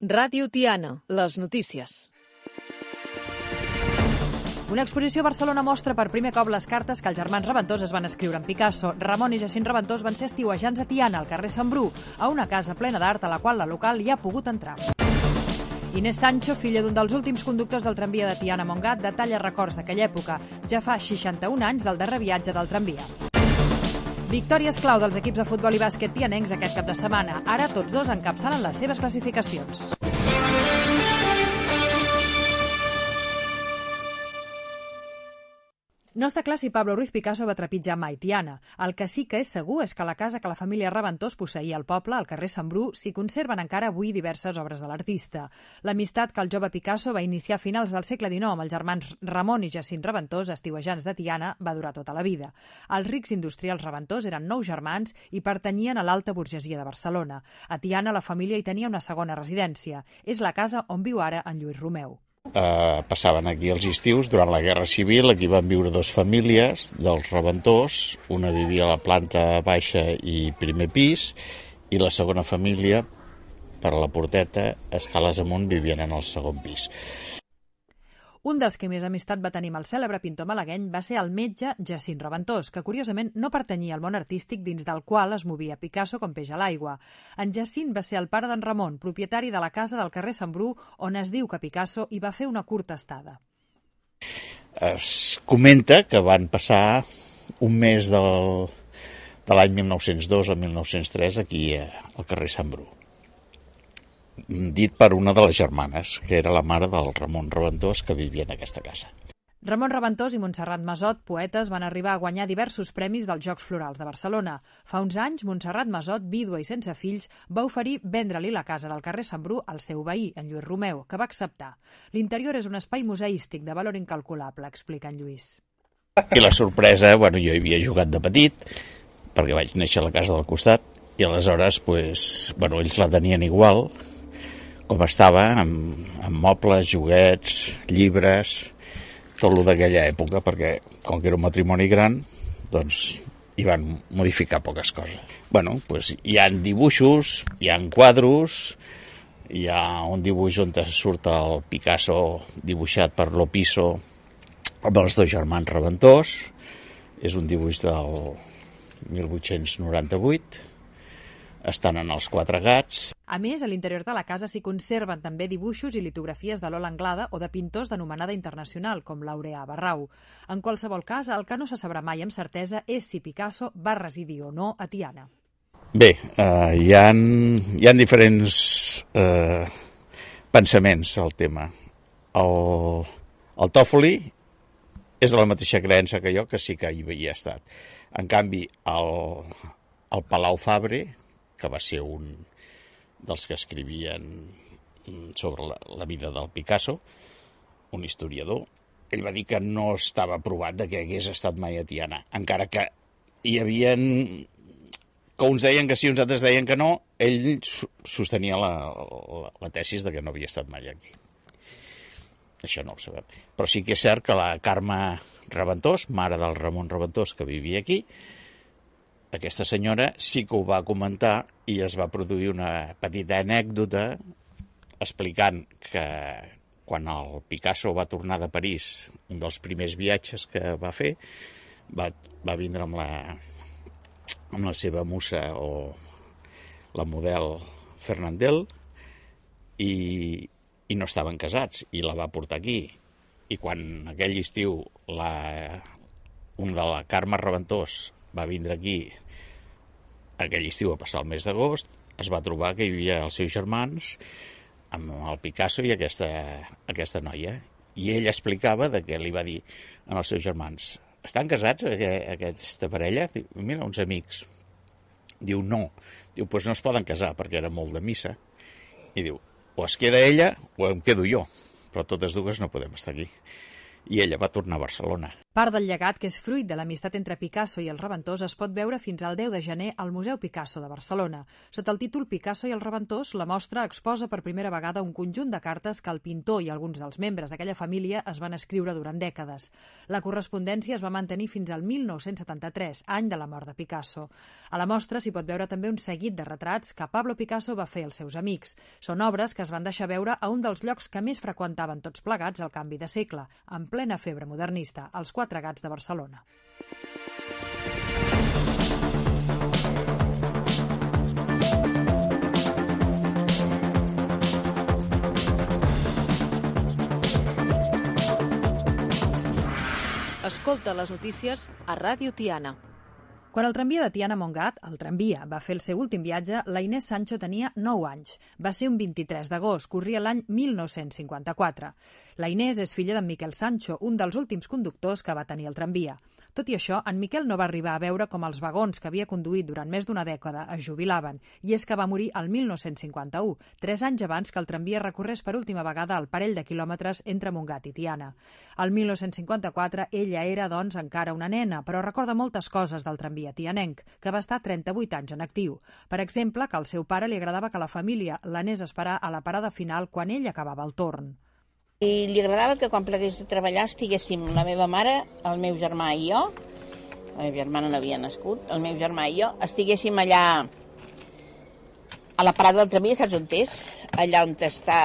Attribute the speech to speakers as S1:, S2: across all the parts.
S1: Ràdio Tiana, les notícies. Una exposició a Barcelona mostra per primer cop les cartes que els germans Reventós es van escriure en Picasso. Ramon i Jacint Reventós van ser estiuejants a Tiana, al carrer Sant Bru, a una casa plena d'art a la qual la local hi ha pogut entrar. Inés Sancho, filla d'un dels últims conductors del tramvia de Tiana-Montgat, detalla records d'aquella època. Ja fa 61 anys del darrer viatge del tramvia. Victòries clau dels equips de futbol i bàsquet tianencs aquest cap de setmana. Ara tots dos encapçalen les seves classificacions. No està clar si Pablo Ruiz Picasso va trepitjar mai Tiana. El que sí que és segur és que la casa que la família Reventós posseïa al poble, al carrer Sant Bru, s'hi conserven encara avui diverses obres de l'artista. L'amistat que el jove Picasso va iniciar a finals del segle XIX amb els germans Ramon i Jacint Reventós, estiuejants de Tiana, va durar tota la vida. Els rics industrials Reventós eren 9 germans i pertanyien a l'alta burgesia de Barcelona. A Tiana la família hi tenia una segona residència. És la casa on viu ara en Lluís Romeu.
S2: Passaven aquí els estius durant la Guerra Civil. Aquí van viure 2 famílies dels Reventós. Una vivia a la planta baixa i primer pis, i la segona família, per a la Porteta, escales amunt, vivien en el segon pis.
S1: Un dels que més amistat va tenir amb el cèlebre pintor malagueny va ser el metge Jacint Reventós, que curiosament no pertanyia al món artístic dins del qual es movia Picasso com peix a l'aigua. En Jacint va ser el pare d'en Ramon, propietari de la casa del carrer Sant Bru, on es diu que Picasso hi va fer una curta estada.
S2: Es comenta que van passar un mes de l'any 1902 al 1903 aquí al carrer Sant Bru, dit per una de les germanes, que era la mare del Ramon Reventós, que vivia en aquesta casa.
S1: Ramon Reventós i Montserrat Masot, poetes, van arribar a guanyar diversos premis dels Jocs Florals de Barcelona. Fa uns anys, Montserrat Masot, vídua i sense fills, va oferir vendre-li la casa del carrer Sant Bru al seu veí, en Lluís Romeu, que va acceptar. L'interior és un espai museístic de valor incalculable, explica en Lluís.
S2: I la sorpresa, jo hi havia jugat de petit, perquè vaig néixer a la casa del costat, i aleshores, ells la tenien igual, com estava, amb mobles, joguets, llibres, tot el d'aquella època, perquè com que era un matrimoni gran, doncs hi van modificar poques coses. Hi ha dibuixos, hi ha quadros, hi ha un dibuix on surt el Picasso dibuixat per Lopiso amb els 2 germans Reventós. És un dibuix del 1898. Estan en els 4 gats.
S1: A més, a l'interior de la casa s'hi conserven també dibuixos i litografies de Lola Anglada o de pintors d'anomenada internacional, com Laureà Barrau. En qualsevol cas, el que no se sabrà mai amb certesa és si Picasso va residir o no a Tiana.
S2: Bé, hi ha diferents pensaments al tema. El Tòfoli és de la mateixa creença que jo, que sí que hi havia estat. En canvi, el Palau Fabre, que va ser un dels que escrivien sobre la vida del Picasso, un historiador, ell va dir que no estava provat que hagués estat mai a Tiana, encara que hi havia que uns deien que sí, uns altres deien que no. Ell sostenia la tesis de que no havia estat mai aquí. Això no ho sabem. Però sí que és cert que la Carme Reventós, mare del Ramon Reventós, que vivia aquí, aquesta senyora sí que ho va comentar i es va produir una petita anècdota explicant que quan el Picasso va tornar de París, un dels primers viatges que va fer, va vindre amb la seva musa o la model Fernandel i no estaven casats i la va portar aquí. I quan aquell estiu un de la Carme Reventós va vindre aquí aquell estiu a passar el mes d'agost, es va trobar que hi havia els seus germans amb el Picasso i aquesta noia. I ell explicava que li va dir als seus germans: estan casats aquesta parella? Diu, mira, uns amics. Diu, no. Diu, doncs no es poden casar perquè era molt de missa. I diu, o es queda ella o em quedo jo, però totes dues no podem estar aquí. i ella va tornar a Barcelona.
S1: Part del llegat, que és fruit de l'amistat entre Picasso i el Reventós, es pot veure fins al 10 de gener al Museu Picasso de Barcelona. Sota el títol Picasso i el Reventós, la mostra exposa per primera vegada un conjunt de cartes que el pintor i alguns dels membres d'aquella família es van escriure durant dècades. La correspondència es va mantenir fins al 1973, any de la mort de Picasso. A la mostra s'hi pot veure també un seguit de retrats que Pablo Picasso va fer als seus amics. Són obres que es van deixar veure a un dels llocs que més freqüentaven tots plegats al canvi de segle, en plena febre modernista, als Quatre Gats de Barcelona.
S3: Escolta les notícies a Ràdio Tiana.
S1: Quan el tramvia de Tiana a Montgat, el tramvia, va fer el seu últim viatge, la Inés Sancho tenia 9 anys. Va ser un 23 d'agost, corria l'any 1954. La Inés és filla d'en Miquel Sancho, un dels últims conductors que va tenir el tramvia. Tot i això, en Miquel no va arribar a veure com els vagons que havia conduït durant més d'una dècada es jubilaven, i és que va morir el 1951, 3 anys abans que el tramvia recorrés per última vegada el parell de quilòmetres entre Montgat i Tiana. El 1954 ella era, doncs, encara una nena, però recorda moltes coses del tramvia tianenc, que va estar 38 anys en actiu. Per exemple, que al seu pare li agradava que la família l'anés a esperar a la parada final quan ell acabava el torn.
S4: I li agradava que quan plegués de treballar estiguéssim la meva mare, el meu germà i jo, la meva germana no havia nascut, el meu germà i jo, estiguéssim allà a la parada del tramvia, saps on és? Allà on està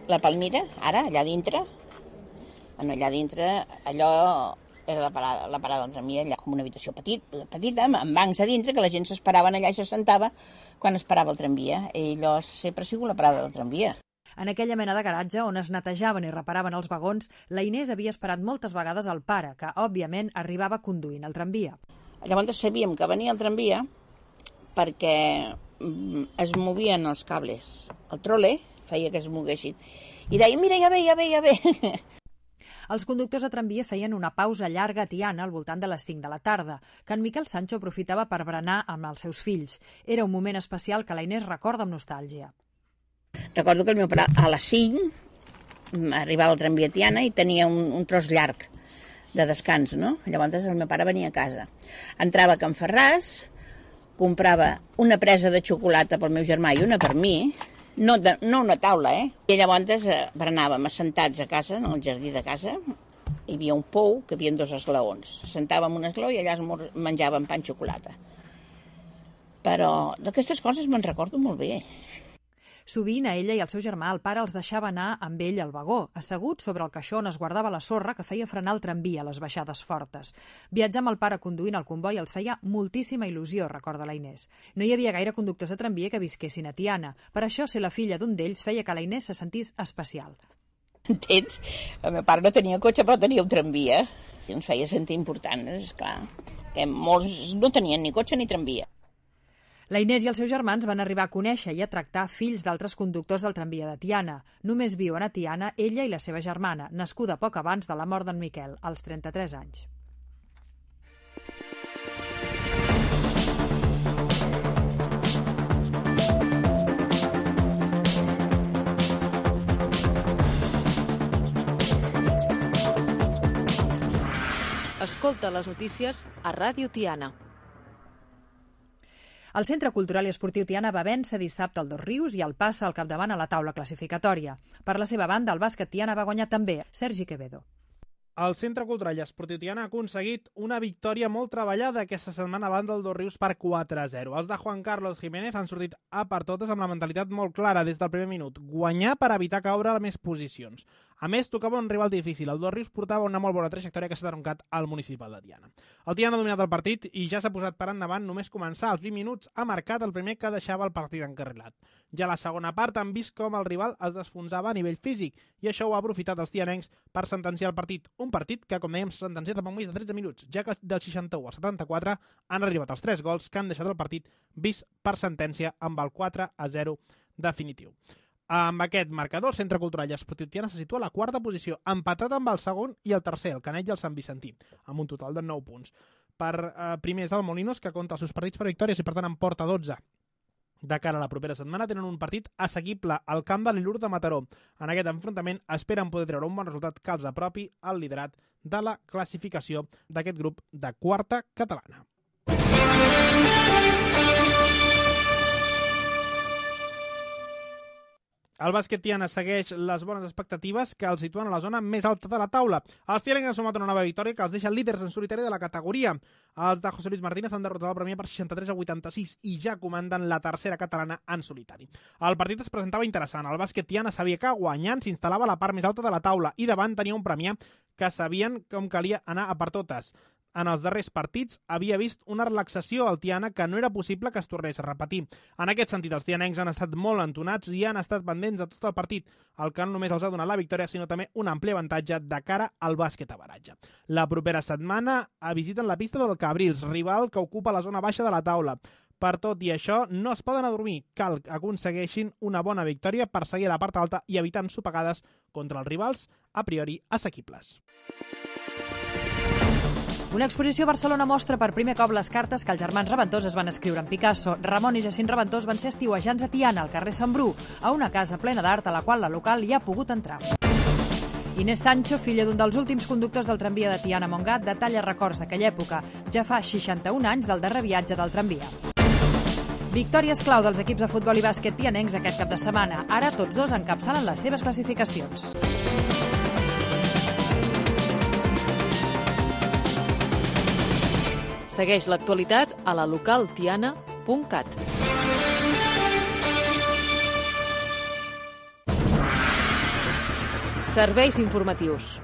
S4: la Palmira, ara, allà dintre. Bueno, allà dintre, allò era la parada del tramvia, allà com una habitació petita, amb bancs a dintre, que la gent s'esperaven allà i s'assentava quan esperava el tramvia. I allò sempre ha sigut la parada del tramvia.
S1: En aquella mena de garatge on es netejaven i reparaven els vagons, la Inés havia esperat moltes vegades el pare, que, òbviament, arribava conduint el tramvia.
S4: Llavors sabíem que venia el tramvia perquè es movien els cables. El trole feia que es moguessin. I deia, mira, ja ve.
S1: Els conductors de tramvia feien una pausa llarga a Tiana al voltant de les 5 de la tarda, que en Miquel Sancho aprofitava per berenar amb els seus fills. Era un moment especial que la Inés recorda amb nostàlgia.
S4: Recordo que el meu pare a les 5 arribava al tramvia a Tiana i tenia un tros llarg de descans, no? Llavors el meu pare venia a casa. Entrava a Can Ferràs, comprava una presa de xocolata pel meu germà i una per mi, no una taula, I llavors berenàvem assentats a casa, en el jardí de casa, hi havia un pou que hi havia 2 esglaons. Sentàvem un esglaó i allà menjàvem pa amb xocolata. Però d'aquestes coses me'n recordo molt bé.
S1: Sovint, a ella i al seu germà, el pare els deixava anar amb ell al vagó, assegut sobre el caixó on es guardava la sorra que feia frenar el tramvia a les baixades fortes. Viatjar amb el pare conduint el comboi els feia moltíssima il·lusió, recorda la Inés. No hi havia gaire conductors de tramvia que visquessin a Tiana. Per això, ser la filla d'un d'ells feia que la Inés se sentís especial.
S4: Entens? El meu pare no tenia cotxe, però tenia un tramvia. I ens feia sentir important, esclar. Que molts no tenien ni cotxe ni tramvia.
S1: La Inés i els seus germans van arribar a conèixer i a tractar fills d'altres conductors del tramvia de Tiana. Només viuen a Tiana ella i la seva germana, nascuda poc abans de la mort d'en Miquel, als 33 anys.
S3: Escolta les notícies a Ràdio Tiana.
S1: El Centre Cultural i Esportiu Tiana va vèncer dissabte el Dosrius i el passa al capdavant a la taula classificatòria. Per la seva banda, el bàsquet Tiana va guanyar també Sergi Quevedo.
S5: El Centre Cultural i Esportiu Tiana ha aconseguit una victòria molt treballada aquesta setmana davant del Dosrius per 4-0. Els de Juan Carlos Jiménez han sortit a per totes amb la mentalitat molt clara des del primer minut. Guanyar per evitar caure a més posicions. A més, tocava un rival difícil. El Dosrius portava una molt bona trajectòria que s'ha troncat al municipal de Tiana. El Tiana ha dominat el partit i ja s'ha posat per endavant. Només començar els 20 minuts ha marcat el primer que deixava el partit encarrilat. Ja a la segona part han vist com el rival es desfonsava a nivell físic i això ho ha aprofitat els tianencs per sentenciar el partit. Un partit que, com dèiem, s'ha sentenciat en més de 13 minuts, ja que del 61 al 74 han arribat els 3 gols que han deixat el partit vist per sentència amb el 4-0 definitiu. Amb aquest marcador, el Centre Cultural i Esportiu Tiana se situa a la 4a posició, empatat amb el segon i el tercer, el Canet i el Sant Vicentí, amb un total de 9 punts. Per primer és el Molinos, que compta els seus partits per victòries i per tant en porta 12. De cara a la propera setmana tenen un partit assequible al camp de l'Ilur de Mataró. En aquest enfrontament esperen poder treure un bon resultat que els apropi al liderat de la classificació d'aquest grup de quarta catalana. El bàsquet Tiana segueix les bones expectatives que els situen a la zona més alta de la taula. Els tianencs han sumat una nova victòria que els deixa líders en solitari de la categoria. Els de José Luis Martínez han derrotat el Premià per 63-86 i ja comanden la tercera catalana en solitari. El partit es presentava interessant. El bàsquet Tiana sabia que guanyant s'instal·lava a la part més alta de la taula i davant tenia un Premià que sabien com calia anar a per totes. En els darrers partits havia vist una relaxació al Tiana que no era possible que es tornés a repetir. En aquest sentit, els tianencs han estat molt entonats i han estat pendents de tot el partit, el que no només els ha donat la victòria, sinó també un ampli avantatge de cara al bàsquet a baratge. La propera setmana visiten la pista del Cabrils, rival que ocupa la zona baixa de la taula. Per tot i això, no es poden adormir. Cal que aconsegueixin una bona victòria per seguir a la part alta i evitar ensopegades contra els rivals a priori assequibles.
S1: Una exposició a Barcelona mostra per primer cop les cartes que els germans Reventós es van escriure en Picasso. Ramon i Jacint Reventós van ser estiuejants a Tiana, al carrer Sant Bru, a una casa plena d'art a la qual la local hi ha pogut entrar. Inés Sancho, filla d'un dels últims conductors del tramvia de Tiana a Montgat, detalla records d'aquella època. Ja fa 61 anys del darrer viatge del tramvia. Victòries clau dels equips de futbol i bàsquet tianencs aquest cap de setmana. Ara tots dos encapçalen les seves classificacions.
S3: Segueix l'actualitat a la localtiana.cat. Serveis informatius.